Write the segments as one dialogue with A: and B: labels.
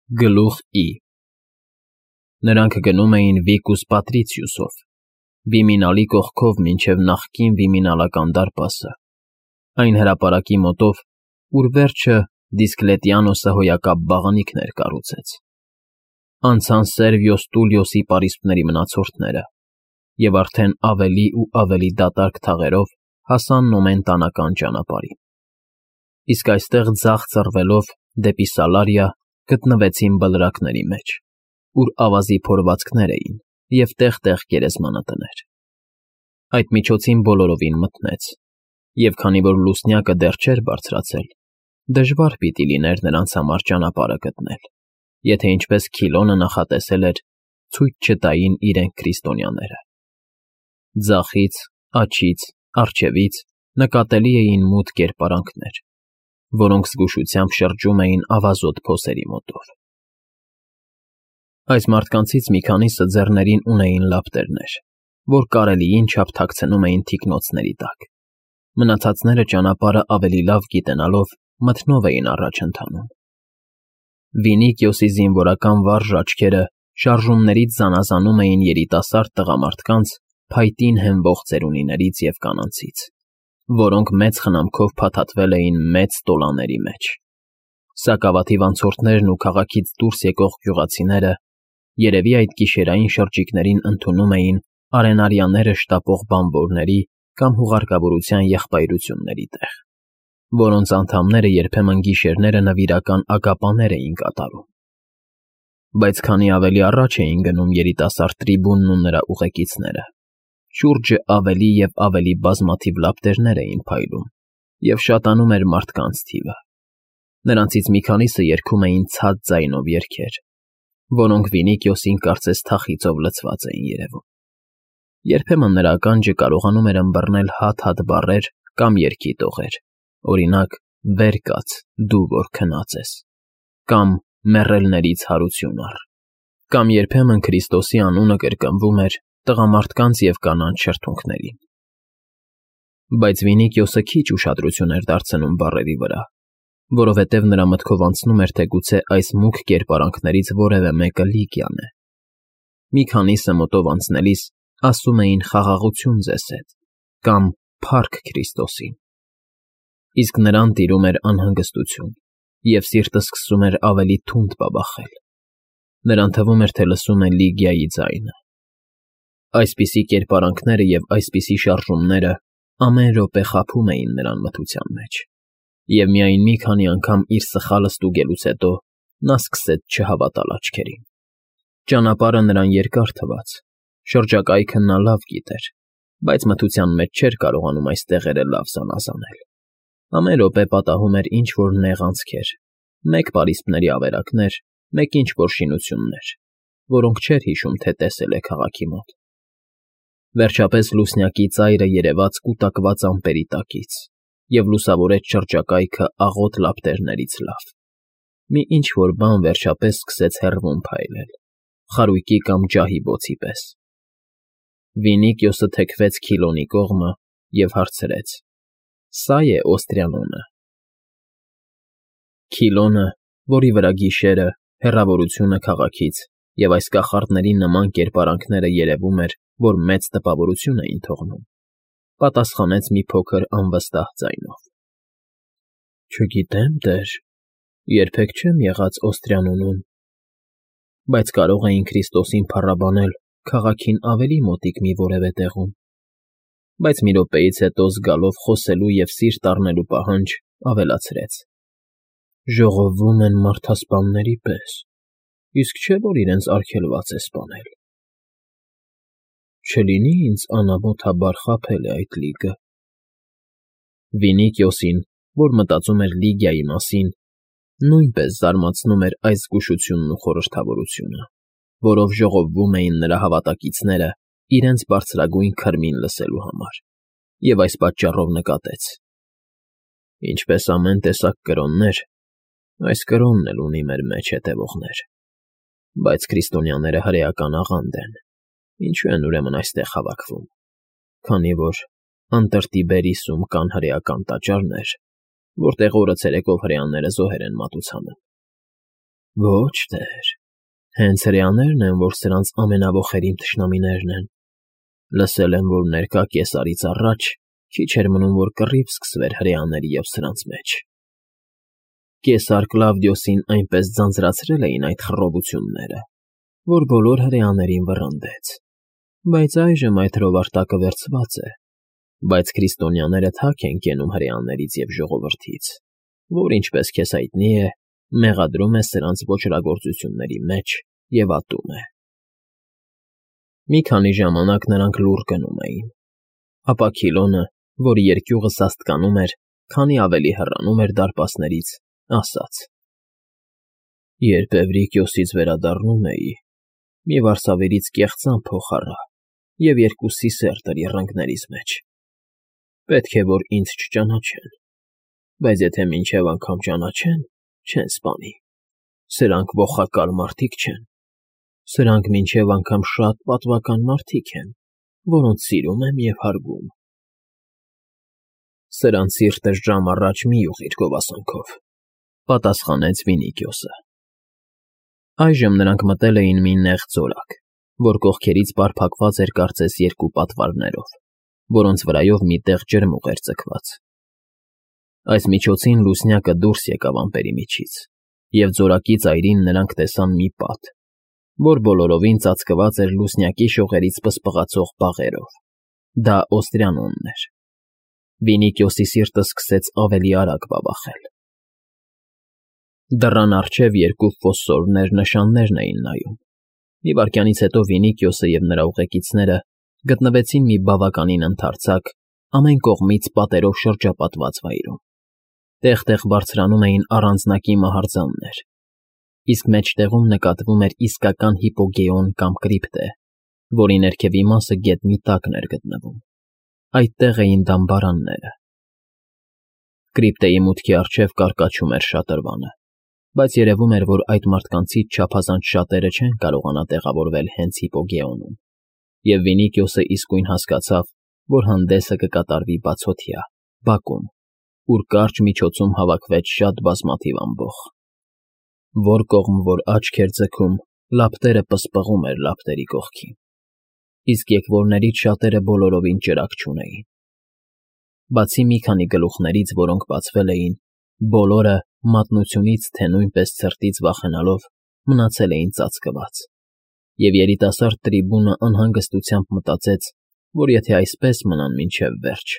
A: Գլուխ I Նրանք գնում էին Վիկուս Պատրիցիուսով, Վիմինալի կողքով մինչև նախկին Վիմինալական դարպասը, այն հրապարակի մոտով, ուր վերջը Դիսկլետիանոսը հոյակապ բաղանիքներ կառուցեց։ Անցան Սերվիոս Տուլիոսի պարիսպների մնացորդները և արդեն ավելի ու ավելի դատարկ թաղերով հասան Նոմենտանական ճանապարհին։ Իսկ այստեղ ձախ ծռվելով դեպի Սալարիա գտնվեցին բլրակների մեջ, ուր ավազի փորվածքներ էին և տեղ-տեղ գերեզմանատներ։ Այդ միջոցին բոլորովին մթնեց, և քանի որ լուսնյակը դեռ չէր բարձրացել, դժվար պիտի լիներ նրանց համար ճանապարհը գտնել, եթե ինչպես Քիլոնը նախատեսել էր, ցույց չտային իրենք քրիստոնյաները։ Ձախից, աջից, առջևից նկատելի էին մութ կերպարանքներ, որոնք զգուշությամբ շրջում էին ավազոտ փոսերի մոտով։ Այս մարդկանցից մի քանիսը ձեռներին ունեին լապտերներ, որ կարելիին չափ թաքցնում էին թիկնոցների տակ։ Մնացածները ճանապարհը ավելի լավ գիտենալով մթնով էին առաջ ընթանում։ Վինիկիոսի զինվորական վարժ աչքերը շարժումներից զանազանում էին երիտասարդ տղամարդկանց փայտին հենվող ծերունիներից և կանանցից, որոնք մեծ խնամքով փաթաթվել էին մեծ տոլաների մեջ։ Սակավաթիվ անցորդներն ու քաղաքից դուրս եկող գյուղացիները երևի այդ գիշերային շրջիկներին ընդունում էին արենարյաները շտապող բանվորների կամ հուղարկավորության եղբայրությունների տեղ, որոնց անդամները երբեմն գիշերները նվիրական ագապաներ էին կատարում։ Բայց քանի ավելի առաջ էին գնում երիտասարդ տրիբունն ու նրա ուղեկիցները, շուրջը ավելի և ավելի բազմաթիվ լապտերներ էին փայլում և շատանում էր մարդկանց թիվը։ Նրանցից մի քանիսը երգում էին ցած ձայնով երգեր, որոնք Վինիկիոսին կարծես թախիծով լցված էին երևում։ Երբեմն նրա ականջը կարողանում էր ըմբռնել հատ-հատ բառեր կամ երգի տողեր, օրինակ՝ «Վեր կաց, դու որ քնած ես» կամ «Մեռելներից հարություն առ», կամ երբեմն Քրիստոսի անունը կրկնվում էր տղամարդկանց և կանանց շրթունքներին։ Բայց Վինիկիոսը քիչ ուշադրություն էր դարձնում բառերի վրա, որովհետև նրա մտքով անցնում էր, թե գուցե այս մուգ կերպարանքներից որևէ մեկը Լիգիան է։ Մի քանիսը մոտով անցնելիս ասում էին «Խաղաղություն ձեզ հետ» կամ «Փառք Քրիստոսին»։ Իսկ նրան տիրում էր անհանգստություն, և սիրտը սկսում էր ավելի թունդ բաբախել։ Նրան թվում էր, թե լսում է Լիգիայի ձայնը։ Այսպիսի կերպարանքները և այսպիսի շարժումները ամեն րոպե խաբում էին նրան մթության մեջ, և միայն մի քանի անգամ իր սխալը ստուգելուց հետո նա սկսեց չհավատալ աչքերին։ Ճանապարհը նրան երկար թվաց, շրջակայքը նա լավ գիտեր, բայց մթության մեջ չէր կարողանում այս տեղերը լավ զանազանել։ Ամեն րոպե պատահում էր ինչ֊որ նեղ անցքեր, մեկ պարիսպների ավերակներ, մեկ ինչ֊որ շինություններ, որոնք չէր հիշում, թե տեսել է քաղաքի մոտ։ Վերջապես լուսնյակի ծայրը երևաց կուտակված ամպերի տակից և լուսավորեց շրջակայքը աղոտ լապտերներից լավ։ Մի ինչ֊որ բան վերջապես սկսեց հեռվում փայլել, խարույկի կամ ջահի բոցի պես։ Վինիկիոսը թեքվեց Քիլոնի կողմը և հարցրեց. «Սա՞ է Օստրիանոնը»։ Քիլոնը, որի վրա գիշերը, հեռավորությունը քաղաքից և այս կախարդների նման կերպարանքները երևում էր, որ մեծ տպավորություն էին թողնում, պատասխանեց մի փոքր անվստահ ձայնով. «Չգիտեմ, տեր, երբեք չեմ եղած Օստրիանոնում, բայց կարող էին Քրիստոսին փառաբանել քաղաքին ավելի մոտիկ մի որևէ տեղում»։ Բայց մի րոպեից հետո զգալով խոսելու և սիրտ առնելու պահանջ, ավելացրեց. «Ժողովվում են մարդասպանների պես, իսկ չէ՞ որ իրենց արգելված է սպանել։ Չլինի՞ ինձ անամոթաբար խաբել է այդ լիգը»։ Վինիկիոսին, որ մտածում էր Լիգիայի մասին, նույնպես զարմացնում էր այս զգուշությունն ու խորհրդավորությունը, որով ժողովվում էին նրա հավատակիցները իրենց բարձրագույն քրմին լսելու համար, և այս պատճառով նկատեց. «Ինչպես ամեն տեսակ կրոններ, այս կրոնն էլ ունի մեր մեջ հետևողներ, բայց քրիստոնյաները հրեական աղանդ են, ինչու են ուրեմն այստեղ հավաքվում, քանի որ Անտրտիբերիսում կան հրեական տաճարներ, որտեղ օրը ցերեկով հրեաները զոհեր են մատուցանում։ Ոչ, տեր, հենց հրեաներն են, որ սրանց ամենավոխերիմ թշնամիներն են։ Լսել եմ, որ ներկա կեսարից առաջ քիչ էր մնում, որ կռիվ սկսվեր հրեաների և սրանց մեջ։ Կեսար Կլավդիոսին այնպես ձանձրացրել էին այդ խռովությունները, որ բոլոր հրեաներին վռնդեց։ Բայց այժմ այդ հրովարտակը վերցված է, բայց քրիստոնյաները թաք են կենում հրեաներից և ժողովրդից, որ, ինչպես քեզ հայտնի է, մեղադրում է սրանց ոճրագործությունների մեջ և ատում է։ Մի քանի ժամանակ նրանք լուռ գնում էին, ապա Քիլոնը, որ երկյուղը սաստկանում էր, քանի ավելի հեռանում էր դարպասներից, ասաց. Երբ Էվրիկիոսից վերադառնում էի, մի վարսավերից կեղծան փող առա և երկուսի սերտ էր եռանկներիս մեջ։ Պետք է, որ ինձ չճանաչեն, բայց եթե մինչև անգամ ճանաչեն, չեն սպանի։ Սրանք ողակալ մարդիկ չեն։ Սրանք մինչև անգամ շատ պատվական մարդիկ են, որոնց սիրում եմ և հարգում։ Սրանց սիրտը ժամ առաջ մի ուղղիր գովասանքով, պատասխանեց Վինիկիոսը։ Այժմ նրանք մտել էին մի նեղ ձորակ, որ կողքերից պարփակված էր կարծես երկու պատվարներով, որոնց վրայով մի տեղ ջրմուղ էր ձգված։ Այս միջոցին լուսնյակը դուրս եկավ ամպերի միջից, և ձորակի ծայրին նրանք տեսան մի պատ, որ բոլորովին ծածկված էր լուսնյակի շողերից պսպղացող բաղերով։ Դա Օստրիանոնն էր։ Վինիկիոսի սիրտը սկսեց ավելի արագ բաբախել։ Դռան առջև երկու ֆոսֆորներ նշաններն էին նայում։ Մի վայրկյանից հետո Վինիկիոսը և նրա ուղեկիցները գտնվեցին մի բավականին ընդարձակ, ամեն կողմից պատերով շրջապատված վայրում։ Տեղ-տեղ բարձրանում էին առանձնակի մահարձաններ, իսկ մեջտեղում նկատվում էր իսկական հիպոգեոն կամ կրիպտե, որի ներքևի մասը գետնի տակն էր գտնվում։ Այդտեղ էին դամբարանները։ Կրիպտեի մուտքի առջև կարկաչում էր շատրվանը, բայց երևում էր, որ այդ մարդկանցից չափազանց շատերը չեն կարողանա տեղավորվել հենց հիպոգեոնում, և Վինիկիոսը իսկույն հասկացավ, որ հանդեսը կկատարվի բացօթյա, բակում, ուր կարճ միջոցում հավաքվեց շատ բազմաթիվ ամբոխ։ Որ կողմ որ աչք էր ձգում, լապտերը պսպղում էր լապտերի կողքին, իսկ եկվորներից շատերը բոլորովին ճրագ չունեին։ Բացի մի քանի գլուխներից, որոնք բացվել էին, բոլորը մատնությունից թե նույնպես ցրտից վախենալով մնացել էին ծածկված, և երիտասարդ տրիբունը անհանգստությամբ մտածեց, որ եթե այսպես մնան մինչև վերջ,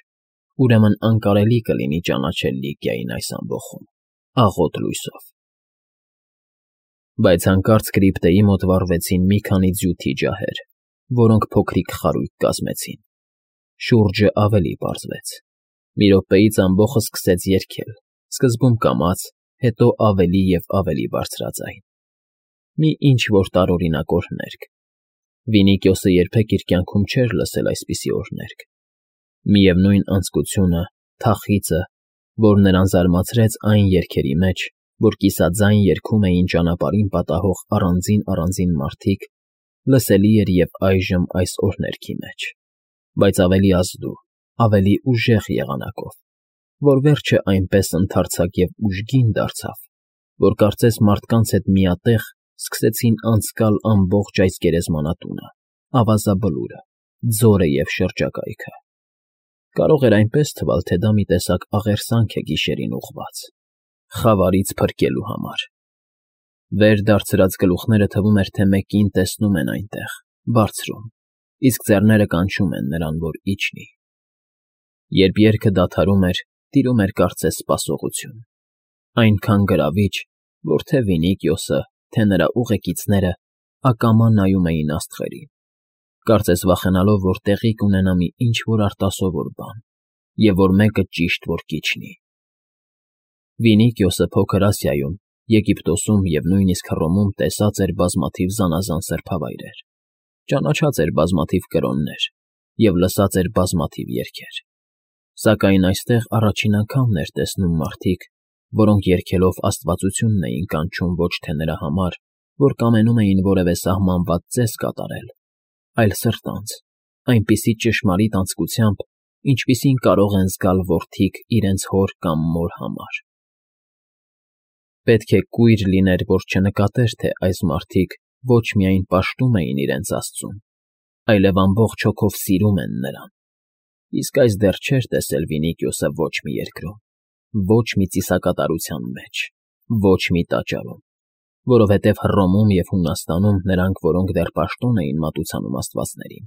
A: ուրեմն անկարելի կլինի ճանաչել Լիկիային այս ամբոխում, աղոտ լույսով։ Բայց հանկարծ կրիպտեի մոտ վառվեցին մի քանի ձյութի ջահեր, որոնք փոքրիկ խարույկ կազմեցին։ Շուրջը ավելի պարզվեց։ Մի րոպեից ամբոխը սկսեց երգել, սկզբում կամաց, հետո ավելի և ավելի բարձրաձայն։ Մի ինչ-որ տարօրինակ օրհներգ։ Վինիկիոսը երբեք իր կյանքում չէր լսել այսպիսի օրհներգ։ Միևնույն անձկությունը, թախիծը, որ նրան զարմացրեց այն երգերի մեջ, որ կիսաձայն երգում էին ճանապարհին պատահող առանձին մարդիկ, լսելի էր և այժմ այս օրհներգի մեջ, բայց ավելի ազդու, ավելի ուժեղ եղանակով, որ վերջը այնպես ընդարձակ և ուժգին դարձավ, որ կարծես մարդկանց հետ միատեղ սկսեցին անցկալ ամբողջ այս գերեզմանատունը, ավազաբլուրը, ձորը և շրջակայքը։ Կարող էր այնպես թվալ, թե դա մի տեսակ աղերսանք է գիշերին ուղղված, խավարից փրկելու համար։ Վեր դարձրած գլուխները թվում էր, թե մեկին տեսնում են այնտեղ, բարձրում, իսկ ձեռները կանչում են նրան, որ իջնի։ Երբ երգը դադարում էր, տիրում էր կարծես սպասողություն, այնքան գրավիչ, որ թե Վինիկիոսը, թե նրա ուղեկիցները ակամա նայում էին աստղերին, կարծես վախենալով, որ տեղի կունենա մի ինչ-որ արտասովոր բան, և որ մեկը ճիշտ որ կիջնի։ Վինիկիոսը Փոքր Ասիայում, Եգիպտոսում և նույնիսկ Հռոմում տեսած էր բազմաթիվ զանազան սրբավայրեր, ճանաչած էր բազմաթիվ կրոններ և լսած էր բազմաթիվ երգեր, սակայն այստեղ առաջին անգամն էր տեսնում մարդիկ, որոնք երգելով աստվածությունն էին կանչում ոչ թե նրա համար, որ կամենում էին որևէ սահմանված ծես կատարել, այլ սրտանց, այնպիսի ճշմարիտ անձկությամբ, ինչպիսին կարող են զգալ որդիք իրենց հոր կամ մոր համար։ Պետք է կույր լիներ, որ չնկատեր, թե այս մարդիկ ոչ միայն պաշտում էին իրենց Աստծուն, այլև ամբողջ հոգով սիրում են նրան։ Իսկ այս դեռ չէր տեսել Վինիկիոսը ոչ մի երկրում, ոչ մի ծիսակատարության մեջ, ոչ մի տաճարում, որովհետև Հռոմում և Հունաստանում նրանք, որոնք դեռ պաշտոն էին մատուցանում աստվածներին,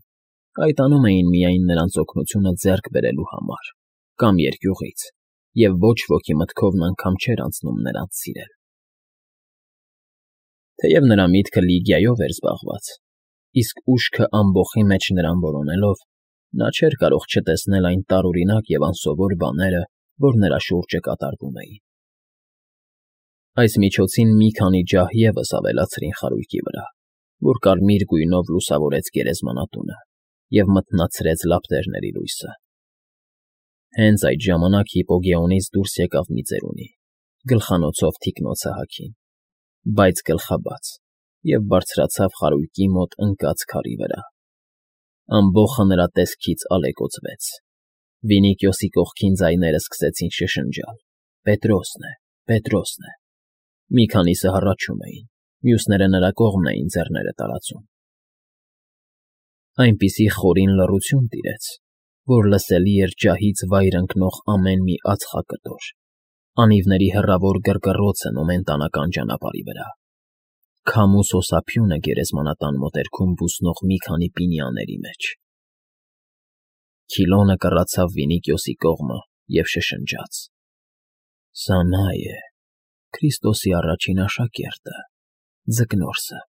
A: կայտանում էին միայն նրանց օգնությունը ձեռք բերելու համար կամ երկյուղից, և ոչ ոքի մտքովն անգամ չէր անցնում նրանց սիրել։ Թեև նրա միտքը Լիգիայով էր զբաղված, իսկ ուշքը ամբոխի մեջ նրան որոնելով, նա չէր կարող չտեսնել այն տարօրինակ և անսովոր բաները, որ նրա շուրջը կատարվում էին։ Այս միջոցին մի քանի ջահ ևս ավելացրին խարույկի վրա, որ կարմիր գույնով լուսավորեց գերեզմանատունը և մթնացրեց լապտերների լույսը։ Հենց այդ ժամանակ Հիպոգեոնից դուրս եկավ մի ծերունի, գլխանոցով թիկնոցը հագին, բայց գլխաբաց, և բարձրացավ խարույկի մոտ ընկած քարի վրա։ Ամբոխը նրա տեսքից ալեկոծվեց։ Վինիկիոսի կողքին ձայները սկսեցին շշնջալ. «Պետրոսն է, Պետրոսն է»։ Մի քանիսը հառաչում էին, մյուսները նրա կողմն էին ձեռները տարածում։ Այնպիսի խորին լռություն տիրեց, որ լսելի էր ջահից վայր ընկնող ամեն մի ածխակտոր, անիվների հեռավոր գրգռոցը նոմենտանական ճանապարհի վրա, քամու սոսափյունը գերեզմանատան մոտերքում բուսնող մի քանի պինիաների մեջ։ Քիլոնը կռացավ Վինիկիոսի կողմը և շշնջաց. «Սա նա է, Քրիստոսի առաջին աշակերտը, Ձկնորսը»։